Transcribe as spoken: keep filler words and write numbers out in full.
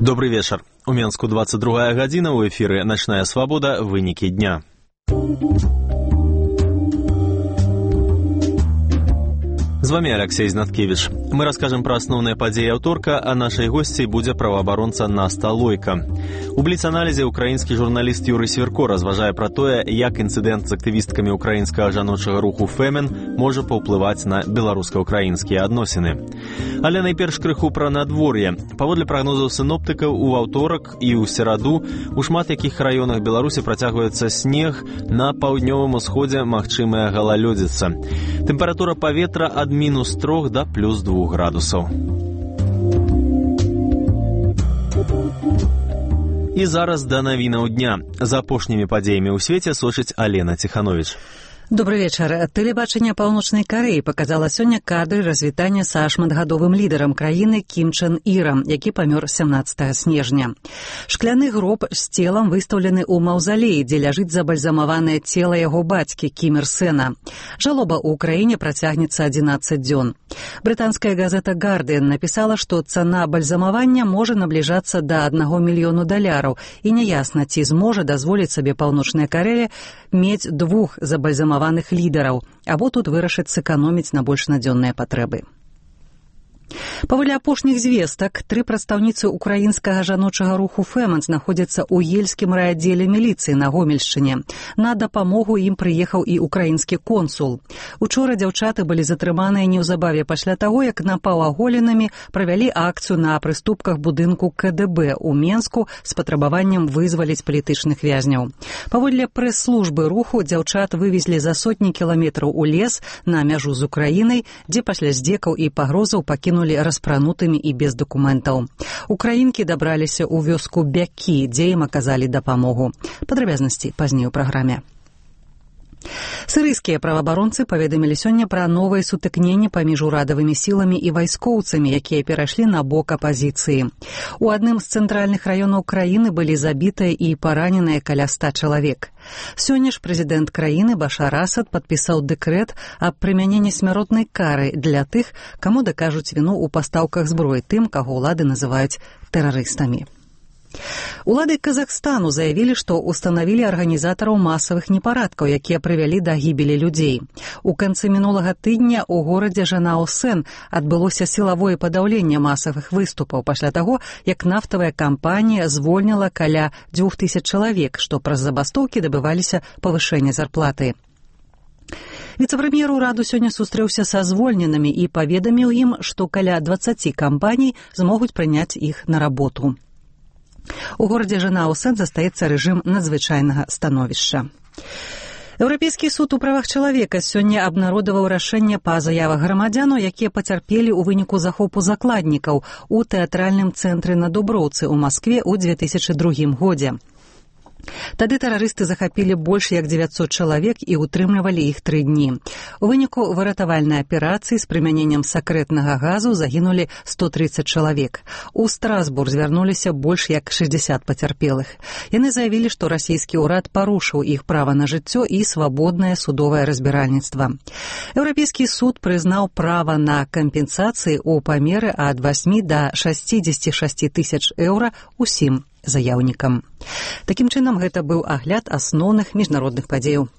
Добрый вечер. У Менску двадцать другая гадзіна, у эфіры «Начная свобода. Вынікі дня». З вами Алексей Знаткевич. Мы расскажем про основные подеи аўторка, а нашей гостьей будзе праваабаронца Наста Лойка. У бліц-аналізе украінскі журналіст Юрый Сверко разважае пра тое, як інцыдэнт з актывісткамі украінскага жаночага руху «Фемен» можа паўплываць на беларуска-украінскія адносіны. Але найперш крыху пра надвор'е. Паводле прагнозаў сіноптыкаў, у аўторак і ў сераду у шмат якіх раёнах Беларусі працягваецца снег, на паўднёвым усходзе магчымая галалёдзіца. Тэмпература паветра ад мінус трох да плюс двух градусаў. І зараз да навінаў дня. За апошнімі падзеямі ў свеце сочыць Алена Ціхановіч. Добрый вечер. Тэлебачанне Паўночнай Карэі показала сёння кадры развітання са шматгадовым лідарам краіны Кім Чен Ірам, які памёр сямнаццатага снежня. Шкляны гроб з целам выстаўлены ў маўзалеі, дзе ляжыць забальзамаванае цела яго бацькі Кім Ір Сэна. Жалоба ў краіне працягнецца адзінаццаць дзён. Брытанская газета «Гардыан» напісала, што цана бальзамавання можа набліжацца да аднаго мільёну даляраў, і няясна, ці зможа дазволіць сабе Паўночная Карэя мець двух забальзамаваных лідараў, або тут вырашыць сэканоміць на больш надзённыя патрэбы. Паводле апошніх звестак, тры прадстаўніцы украінскага жаночага руху «Фемен» знаходзяцца ў ельскім райаддзеле міліцыі на Гомельшчыне. На дапамогу ім прыехаў і украінскі консул. Учора дзяўчаты былі затрыманыя неўзабаве пасля таго, як напаўаголенымі правялі акцыю на прыступках будынку ка дэ бэ ў Менску з патрабаваннем вызваліць палітычных вязняў. Паводле прэс-службы руху дзяўчат вывезлі за сотні кіламетраў у лес на мяжу з Украінай, дзе пасля здзекаў і пагрозаў пакінулі распранутымі і без дакументаў. Украінкі дабраліся ў вёску Бякі, дзе ім аказалі дапамогу. Падрабязнасці пазней у праграме. Сірыйскія праваабаронцы паведамілі сёння пра новыя сутыкненні паміж урадавымі сіламі і вайскоўцамі, якія перайшлі на бок апазіцыі. У адным з цэнтральных раёнаў краіны былі забітыя і параненыя каля ста чалавек. Сёння ж прэзідэнт краіны Башар Асад падпісаў дэкрэт аб прымяненні смяротнай кары для тых, каму дакажуць віну ў пастаўках зброі, тым, каго ўлады называюць тэрарыстамі. Улады Казахстану заявілі, што устанавілі арганізатараў масавых непарадкаў, якія прывялі да гібелі людзей. У канцы мінулага тыдня ў горадзе Жанао-Сэн адбылося сілавое падаўленне масавых выступаў пасля таго, як нафтавая кампанія звольніла каля дзвюх тысяч чалавек, што праз забастоўкі дабываліся павышэння зарплаты. Віцэ-прэм'ер ураду сёння сустрэўся са звольненымі і паведаміў ім, што каля дваццаці кампаній змогуць прыняць іх на работу. У горадзе Жанао-Сэн застаецца рэжым надзвычайнага становішча. Еўрапейскі суд у правах чалавека сёння абнародаваў рашэнне па заявах грамадзянаў, якія пацярпелі ў выніку захопу закладнікаў у тэатральным цэнтры на Дуброўцы ў Маскве ў дзве тысячы другім годзе. Тады тэрарысты захапілі больш як дзевяцьсот чалавек і ўтрымлівалі іх тры дні. У выніку выратавальнай аперацыі з прымяненнем сакрэтнага газу загінулі сто трыццаць чалавек. У Страсбург звярнуліся больш як шэсцьдзесят пацярпелых. Яны заявілі, што расійскі ўрад парушыў іх права на жыццё і свабоднае судовае разбіральніцтва. Еўрапейскі суд прызнаў права на кампенсацыі ў памеры ад васьмі да шасцідзесяці шасці тысяч еўра усім заяўнікам. Такім чынам, гэта быў агляд асноўных міжнародных падзеяў